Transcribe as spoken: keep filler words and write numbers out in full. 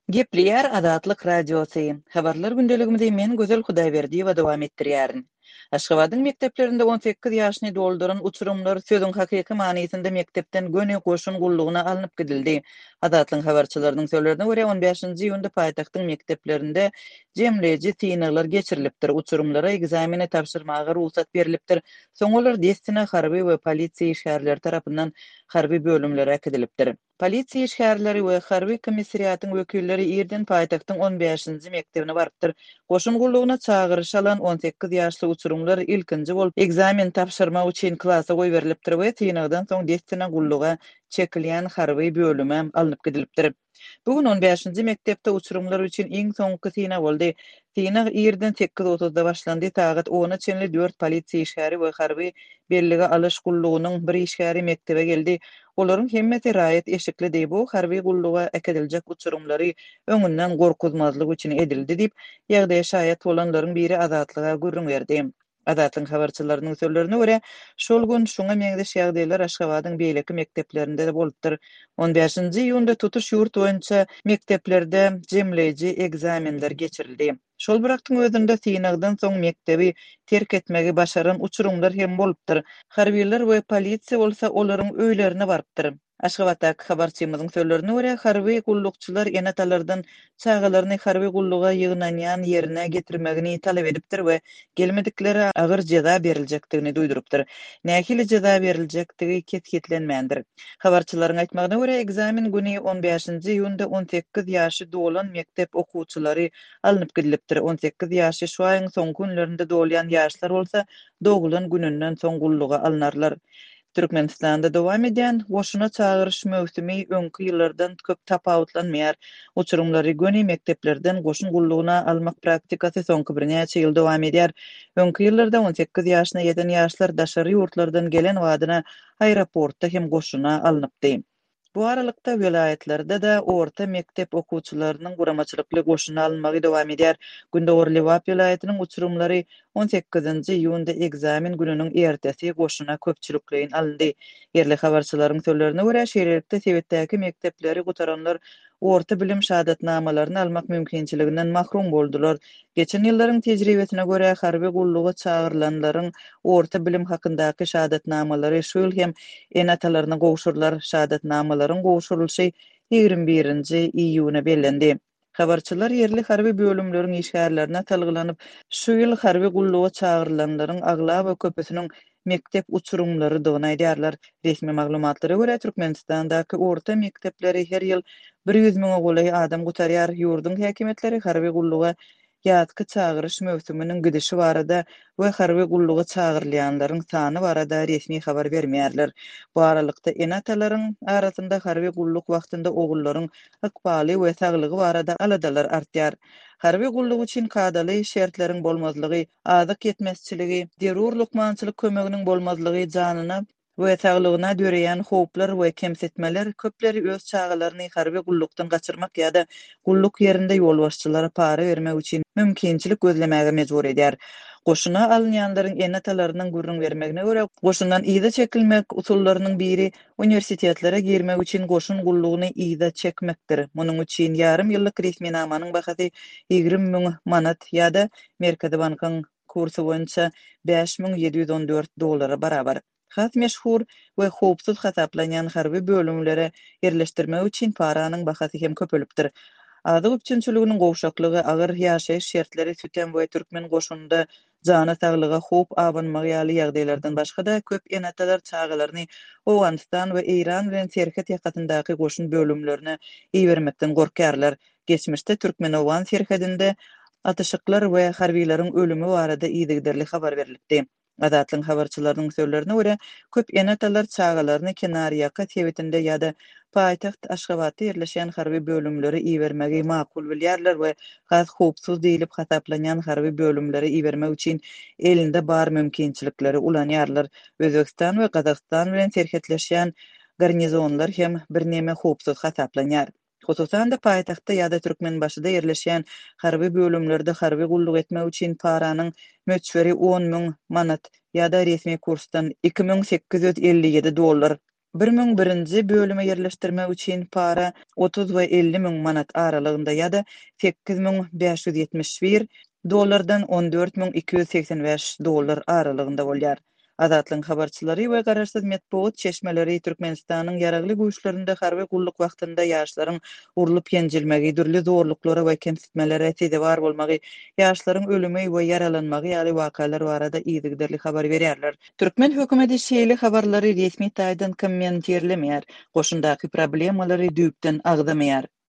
Gepleýär Azatlyk Radiosy. Habarlar gündeligimizi men Gözel Hudaýberdiýewa dowam etdirýärin. Aşgabadyň mekdeplerinde on sekiz ýaşyny dolduran uçurymlar sözüň hakyky manysynda mekdepden göni goşun gullugyna alnyp gidildi. Azatlygyň habarçylarynyň sözlerine görä, on bäşinji iýunda paýtagtyň mekdeplerinde jemleýji synaglar geçirilipdir, uçurymlara ekzameni tabşyrmaga rugsat berlipdir, soň olar dessine harby we polisiýa işgärleri tarapyndan harby bölümlere äkidilipdir. Polisiýa işgärleri we harby komissariatyň wekilleri irden paýtagtyň on bäşinji mekdebine barypdyr. Goşun gullugyna çagyryş alan on sekiz ýaşly uçurymlar ilkinji bolup ekzamen tabşyrmak üçin klasa goýberilipdir we synagdan soň dessine gulluga çekilýän harby bölüme alnyp gidilipdir. Bu gün on bäşinji mekdepde uçurymlar üçin iň soňky synag boldy. Synag irden sekiz otuzda başlandy, sagat ona çenli dört polisiýa işgäri we harby bellige alyş gullugynyň bir işgäri mekdebe geldi. Olaryň hemmesi raýat eşiklidi. Bu harby gulluga äkidiljek uçurymlary öňünden gorkuzmazlyk üçin edildi diýip, ýagdaýa şaýat bolanlaryň biri Azatlyga gürrüň berdi. Azatlygyň habarçylarynyň sözlerine görä, şol gün şuňa meňzeş ýagdaýlar Aşgabadyň beýleki mekdeplerinde-de bolupdyr. On bäşinji iýunda tutuş ýurt boýunça mekdeplerde jemleýji ekzamenler geçirildi. Şol bir wagtyň özünde synagdan soň mekdebi terk etmegi başaran uçurymlar hem bolupdyr. Harbylar we polisiýa bolsa olaryň öýlerine barypdyr. Aşgabatdaky habarçymyzyň sözlerine görä, harby gullukçylar ene-atalardan çagalaryny harby gulluga ýygnanýan ýerine getirmegini talap edipdir we gelmediklere agyr jeza beriljekdigini duýdurypdyr. Nähili jeza beriljekdigi kesgitlenmändir. Habarçylaryň aýtmagyna görä, ekzamen güni on bäşinji iýunda on sekiz ýaşy dolan mekdep okuwçylary alnyp gidilipdir. On sekiz ýaşy şu aýyň soňky günlerinde dolýan ýaşlar bolsa doglan gününden soň gulluga alynarlar. Türkmenistanda dowam edýän goşuna çagyryş möwsümi öňki ýyllardan köp tapawutlanmaýar. Uçurymlary göni mekdeplerden goşun gullugyna almak praktikasy soňky birnäçe ýyl dowam edýär. Öňki ýyllarda on sekiz ýaşyna ýeten ýaşlar daşary ýurtlardan gelen badyna aeroportda hem goşuna alnypdy. Bu aralykda welaýatlarda-da orta mekdep okuwçylarynyň guramaçylykly goşuna alynmagy dowam edýär. Gündogar Lebap welaýatynyň uçurymlary on sekizinji iýunda ekzamen gününiň ertesi goşuna köpçülikleýin alyndy. Ýerli habarçylaryň sözlerine görä, şeýlelikde sebitdäki mekdepleri gutaranlar orta bilim şahadatnamalaryny almak mümkinçiliginden mahrum boldular. Geçen ýyllaryň tejribesine görä, harby gulluga çagyrylanlaryň orta bilim hakyndaky şahadatnamalary şu ýyl hem ene-atalaryna gowşurylar. Şahadatnamalaryň gowşurylyşy ýigrimi birinji iýuna bellendi. Habarçylar ýerli harby bölümleriň işgärlerine salgylanyp, şu ýyl harby gulluga çagyrylanlaryň aglaba köpüsiniň mekdep uçurymlarydygyny aýdýarlar. Resmi maglumatlara görä, Türkmenistandaky orta mekdepleri her ýyl bir ýüz müňe golaý adam gutarýar. Ýurduň häkimiýetleri harby gulluga ýatky çagyryş möwsüminiň gidişi barada we harby gulluga çagyrylýanlaryň sany barada resmi habar bermeýärler. Bu aralykda ene-atalaryň arasynda harby gulluk wagtynda ogullaryň ykbaly we saglygy barada aladalar artýar. Harby gulluk üçin kadaly şertleriň bolmazlygy, azyk ýetmezçiligi, zerur lukmançylyk kömeginiň bolmazlygy janyna we saglygyna döreýän howplar we kemsitmeler köpleri öz çagalaryny harby gullukdan gaçyrmak ýa-da gulluk ýerinde ýolbaşçylara para bermek üçin mümkinçilik gözlemäge mejbur edýär. Goşuna alynýanlaryň ene-atalarynyň gürrüň bermegine görä, goşundan yza çekilmek usullarynyň biri uniwersitetlere girmek üçin goşun gullugyny yza çekmekdir. Munuň üçin ýarym ýyllyk resminamanyň bahasy ýigrimi müň manat ýa-da Merkezi bankyň kursy boýunça bäş müň ýedi ýüz on dört dollara barabar. Has meşhur we howpsuz hasaplanýan harby bölümlere ýerleşdirmek üçin paranyň bahasy hem köpelipdir. Azyk üpjünçiliginiň gowşaklygy, agyr ýaşaýyş şertleri, sütem we türkmen goşunynda jana saglyga howp abanmagy ýaly ýagdaýlardan başga-da köp ene-atalar çagalaryny Owganystan we Eýran bilen serhet ýakasyndaky goşun bölümlerine ibermekden gorkýarlar. Geçmişde türkmen-owgan serhedinde atyşyklar we harbiýlaryň ölümi barada yzygiderli habar berilipdi. Azatlygyň habarçylarynyň sözlerine görä, köp ene-atalar çagalaryny kenarýaka sebitinde ýa-da paýtagt Aşgabatda ýerleşýän harby bölümlere ibermegi makul bilýärler we has howpsuz diýlip hasaplanýan harby bölümlere ibermek üçin elinde bar mümkinçilikleri ulanýarlar. Özbegistan we Gazagystan bilen serhetleşýän garnizonlar hem birneme howpsuz hasaplanýar. Hususan-da paýtagtda ýa-da Türkmenbaşyda ýerleşýän harby bölümlerde harby gulluk etmek üçin paranyň möçberi on müň manat ýa-da resmi kursdan iki müň sekiz ýüz elli ýedi dollar Bir müň birinji bölüme ýerleşdirmek üçin para otuz we elli müň manat aralygynda ýa-da sekiz müň bäş ýüz ýetmiş bir dollardan on dört müň iki ýüz segsen bäş dollar aralygynda bolýar. Azatlygyň habarçylary we garaşsyz metbugat çeşmeleri Türkmenistanyň Ýaragly Güýçlerinde harby gulluk wagtynda ýaşlaryň urlup-ýenjilmegi, dürli zorluklara we kemsitmelere sezewar bolmagy, ýaşlaryň ölümi we ýaralanmagy ýaly wakalar barada yzygiderli habar berýärler. Türkmen hökümeti şeýle habarlary resmi taýdan kommentirlemeýär, goşundaky problemalary düýpden agzamaýar.